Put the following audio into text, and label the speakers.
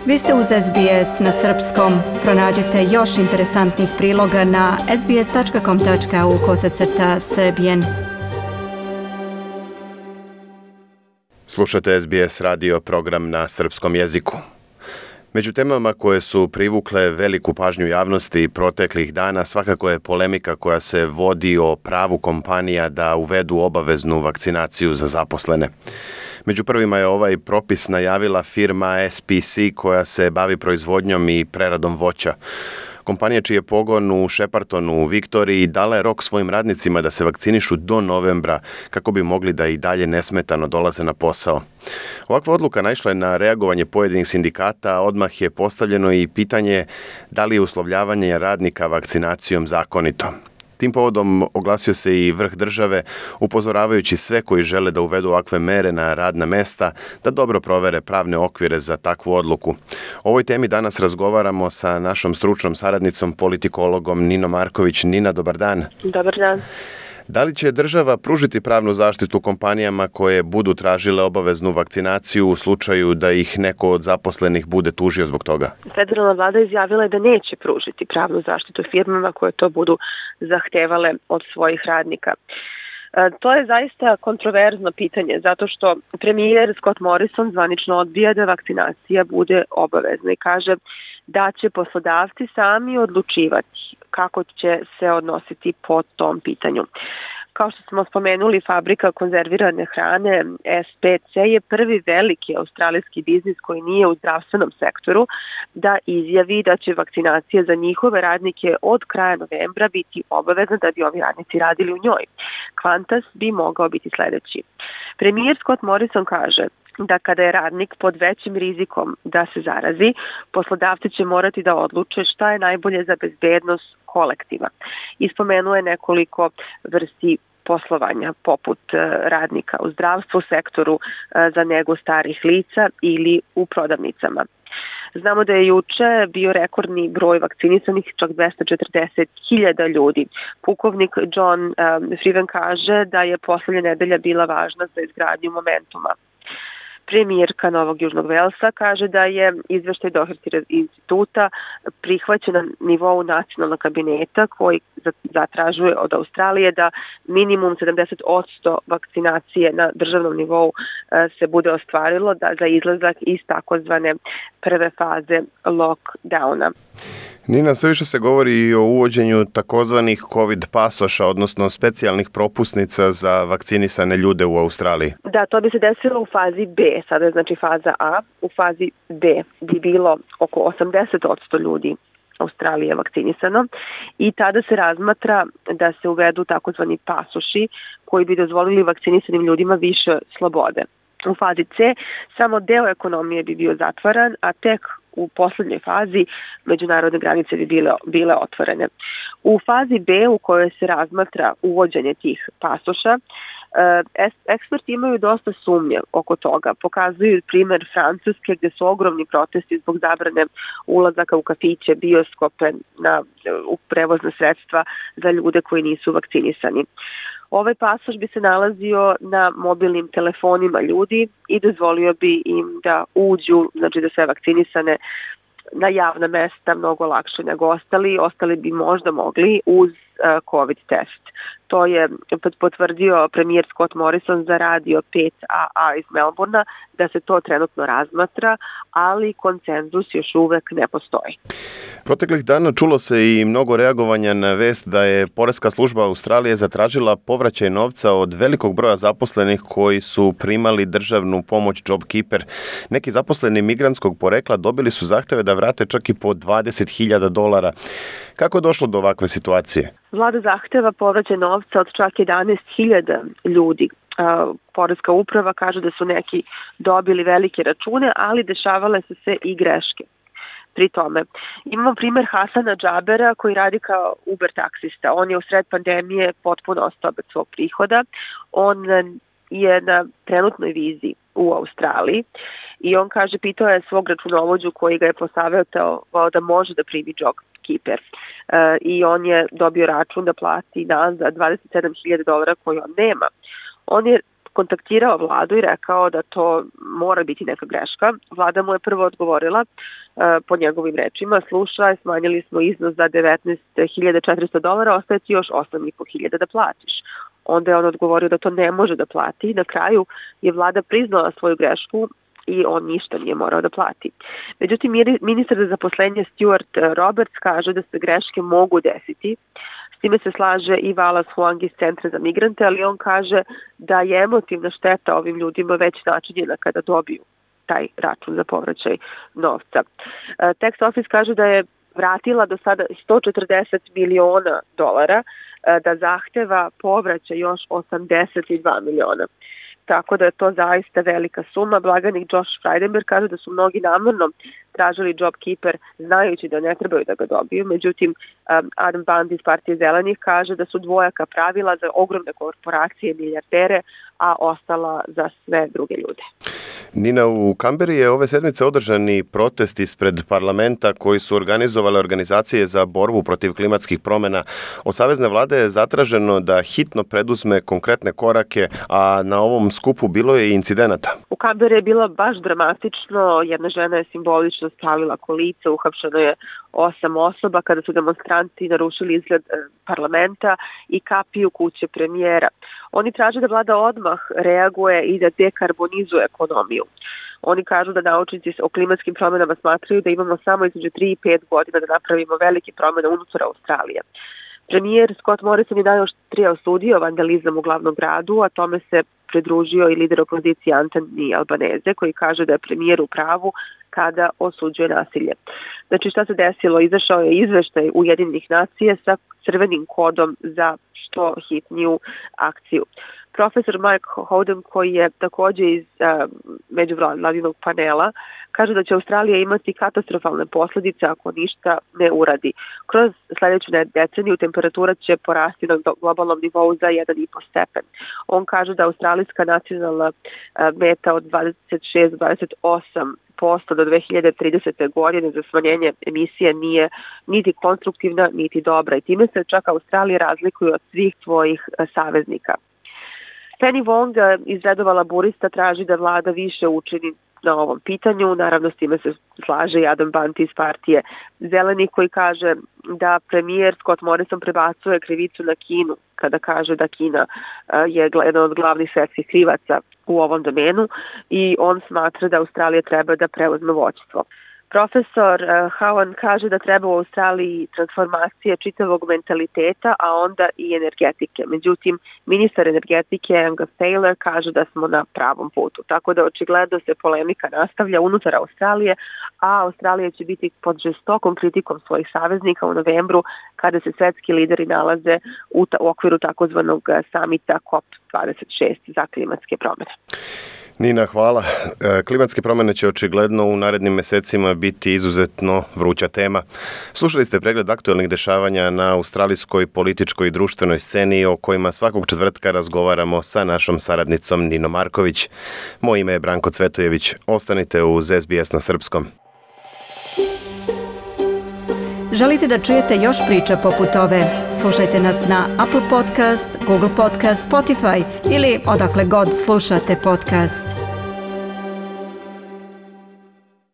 Speaker 1: Vi ste uz SBS na srpskom. Pronađite još interesantnih priloga na sbs.com.au/srbijen.
Speaker 2: Slušate SBS radio program na srpskom jeziku. Među temama koje su privukle veliku pažnju javnosti proteklih dana svakako je polemika koja se vodi o pravu kompanija da uvedu obaveznu vakcinaciju za zaposlene. Među prvima je ovaj propis najavila firma SPC koja se bavi proizvodnjom i preradom voća. Kompanija čiji je pogon u Sheppartonu u Viktoriji dala je rok svojim radnicima da se vakcinišu do novembra kako bi mogli da i dalje nesmetano dolaze na posao. Ovakva odluka naišla je na reagovanje pojedinih sindikata, odmah je postavljeno i pitanje da li je uslovljavanje radnika vakcinacijom zakonito. Tim povodom oglasio se i vrh države, upozoravajući sve koji žele da uvedu ovakve mere na radna mesta, da dobro provere pravne okvire za takvu odluku. O ovoj temi danas razgovaramo sa našom stručnom saradnicom, politikologom Ninom Marković. Nina, dobar dan.
Speaker 3: Dobar dan.
Speaker 2: Da li će država pružiti pravnu zaštitu kompanijama koje budu tražile obaveznu vakcinaciju u slučaju da ih neko od zaposlenih bude tužio zbog toga?
Speaker 3: Federalna vlada izjavila je da neće pružiti pravnu zaštitu firmama koje to budu zahtevale od svojih radnika. To je zaista kontroverzno pitanje, zato što premijer Scott Morrison zvanično odbija da vakcinacija bude obavezna i kaže da će poslodavci sami odlučivati kako će se odnositi po tom pitanju. Kao što smo spomenuli, fabrika konzervirane hrane SPC je prvi veliki australijski biznis koji nije u zdravstvenom sektoru da izjavi da će vakcinacija za njihove radnike od kraja novembra biti obavezna da bi ovi radnici radili u njoj. Qantas bi mogao biti sledeći. Premijer Scott Morrison kaže da kada je radnik pod većim rizikom da se zarazi, poslodavci će morati da odluče šta je najbolje za bezbednost kolektiva. Ispomenuo je nekoliko vrsti poslovanja, poput radnika u zdravstvu, sektoru za negu starih lica ili u prodavnicama. Znamo da je juče bio rekordni broj vakcinisanih, čak 240.000 ljudi. Pukovnik John Freeman kaže da je poslednja nedelja bila važna za izgradnju momentuma. Premijerka Novog Južnog Velsa kaže da je izveštaj Doherty instituta prihvaćen na nivou nacionalnog kabineta koji zatražuje od Australije da minimum 70% vakcinacije na državnom nivou se bude ostvarilo za izlazak iz takozvane prve faze lockdowna.
Speaker 2: Nina, sve više se govori i o uvođenju takozvanih COVID pasoša, odnosno specijalnih propusnica za vakcinisane ljude u Australiji.
Speaker 3: Da, to bi se desilo u fazi B, sada je znači faza A. U fazi B bi bilo oko 80% ljudi Australije vakcinisano i tada se razmatra da se uvedu takozvani pasoši koji bi dozvolili vakcinisanim ljudima više slobode. U fazi C samo deo ekonomije bi bio zatvaran, a tek u poslednjoj fazi međunarodne granice bi bile otvorene. U fazi B u kojoj se razmatra uvođenje tih pasoša, eksperti imaju dosta sumnje oko toga. Pokazuju primer Francuske gde su ogromni protesti zbog zabrane ulazaka u kafiće, bioskope, u prevozna sredstva za ljude koji nisu vakcinisani. Ovaj pasoš bi se nalazio na mobilnim telefonima ljudi i dozvolio bi im da uđu, znači da sve vakcinisane na javna mesta mnogo lakše nego ostali. Ostali bi možda mogli uz COVID test. To je potvrdio premijer Scott Morrison za radio 5AA iz Melbourna da se to trenutno razmatra, ali konsenzus još uvek ne postoji.
Speaker 2: Proteklih dana čulo se i mnogo reagovanja na vest da je Poreska služba Australije zatražila povraćaj novca od velikog broja zaposlenih koji su primali državnu pomoć JobKeeper. Neki zaposleni migrantskog porekla dobili su zahteve da vrate čak i po $20,000. Kako je došlo do ovakve situacije?
Speaker 3: Vlada zahteva povraćaj novca od čak 11.000 ljudi. Poreska uprava kaže da su neki dobili velike račune, ali dešavale su se i greške. Pri tome, imamo primer Hasana Džabera koji radi kao Uber taksista. On je u sred pandemije potpuno ostao bez svog prihoda. On je na trenutnoj vizi u Australiji i on kaže, pitao je svog računovođu koji ga je posavetao da može da primi JobKeeper. I on je dobio račun da plati za $27,000 koji on nema. On je kontaktirao vladu i rekao da to mora biti neka greška. Vlada mu je prvo odgovorila po njegovim rečima, slušaj, smanjili smo iznos za $19.400, ostaje ti još $8.500 da platiš. Onda je on odgovorio da to ne može da plati. Na kraju je vlada priznala svoju grešku i on ništa nije morao da plati. Međutim, ministar za zaposlenje Stuart Roberts kaže da se greške mogu desiti. S time se slaže i Wallace Huang iz Centra za migrante, ali on kaže da je emotivna šteta ovim ljudima već načinjena kada dobiju taj račun za povraćaj novca. Tax Office kaže da je vratila do sada $140 miliona, da zahteva povraćaj još $82 miliona. Tako da je to zaista velika suma. Blaganik Josh Frydenberg kaže da su mnogi namjerno tražili JobKeeper znajući da ne trebaju da ga dobiju. Međutim, Adam Band iz Partije zelenih kaže da su dvojaka pravila za ogromne korporacije i milijardere, a ostala za sve druge ljude.
Speaker 2: Nina, u Kamberi je ove sedmice održani protest ispred parlamenta koji su organizovale organizacije za borbu protiv klimatskih promjena. Od savezne vlade je zatraženo da hitno preduzme konkretne korake, a na ovom skupu bilo je i incidenata.
Speaker 3: U Kamberi je bilo baš dramatično. Jedna žena je simbolično stavila kolica, uhapšeno je 8 osoba kada su demonstranti narušili izgled parlamenta i kapiju kuće premijera. Oni traže da vlada odmah reaguje i da dekarbonizuje ekonomiju. Oni kažu da naučnici o klimatskim promjenama smatraju da imamo samo između 3 i 5 godina da napravimo velike promjene unutar Australije. Premijer Scott Morrison je najoštrije osudio vandalizam u glavnom gradu, a tome se pridružio i lider opozicije Anthony Albanese, koji kaže da je premijer u pravu kada osuđuje nasilje. Znači, šta se desilo? Izašao je izveštaj Ujedinjenih nacija sa crvenim kodom za što hitniju akciju. Profesor Mike Howden, koji je također iz međuvladinog panela, kaže da će Australija imati katastrofalne posljedice ako ništa ne uradi. Kroz sljedeću deceniju temperatura će porasti na globalnom nivou za 1,5 stepen. On kaže da australijska nacionalna meta od 26-28% do 2030. godine za smanjenje emisije nije niti konstruktivna, niti dobra. I time se čak Australija razlikuje od svih svojih saveznika. Penny Wong iz redova laburista traži da vlada više učini na ovom pitanju. Naravno, s time se slaže i Adam Band iz Partije zelenih, koji kaže da premijer Scott Morrison prebacuje krivicu na Kinu kada kaže da Kina je jedan od glavnih svjetskih krivaca u ovom domenu i on smatra da Australija treba da preuzme vođstvo. Profesor Howan kaže da treba u Australiji transformacije čitavog mentaliteta, a onda i energetike. Međutim, ministar energetike Angus Taylor kaže da smo na pravom putu. Tako da očigledno se polemika nastavlja unutar Australije, a Australija će biti pod žestokom kritikom svojih saveznika u novembru kada se svetski lideri nalaze u okviru takozvanog samita COP26 za klimatske promjene.
Speaker 2: Nina, hvala. Klimatske promjene će očigledno u narednim mjesecima biti izuzetno vruća tema. Slušali ste pregled aktualnih dešavanja na australijskoj političkoj i društvenoj sceni o kojima svakog četvrtka razgovaramo sa našom saradnicom Ninom Marković. Moje ime je Branko Cvetojević. Ostanite uz SBS na srpskom.
Speaker 1: Želite da čujete još priča poput ove? Slušajte nas na Apple Podcast, Google Podcast, Spotify ili odakle god slušate podcast.